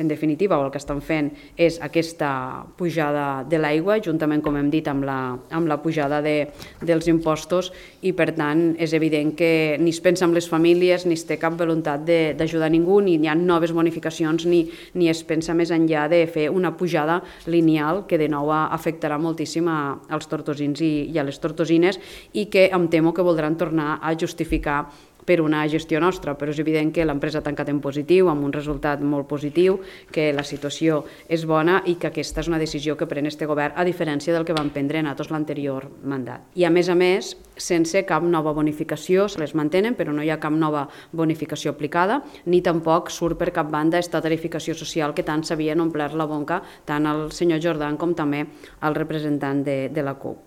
En definitiva, el que estan fent és aquesta pujada de l'aigua, juntament, com hem dit, amb la pujada dels impostos, i per tant és evident que ni es pensa en les famílies, ni es té cap voluntat d'ajudar ningú, ni hi ha noves bonificacions, ni es pensa més enllà de fer una pujada lineal que de nou afectarà moltíssim als tortosins i a les tortosines, i que em temo que voldran tornar a justificar per una gestió nostra, però és evident que l'empresa ha tancat en positiu, amb un resultat molt positiu, que la situació és bona i que aquesta és una decisió que pren este govern, a diferència del que van prendre en tots l'anterior mandat. I a més, sense cap nova bonificació, se les mantenen, però no hi ha cap nova bonificació aplicada, ni tampoc surt per cap banda aquesta tarificació social que tant s'havien omplert la boca tant el senyor Jordan com també el representant de la CUP.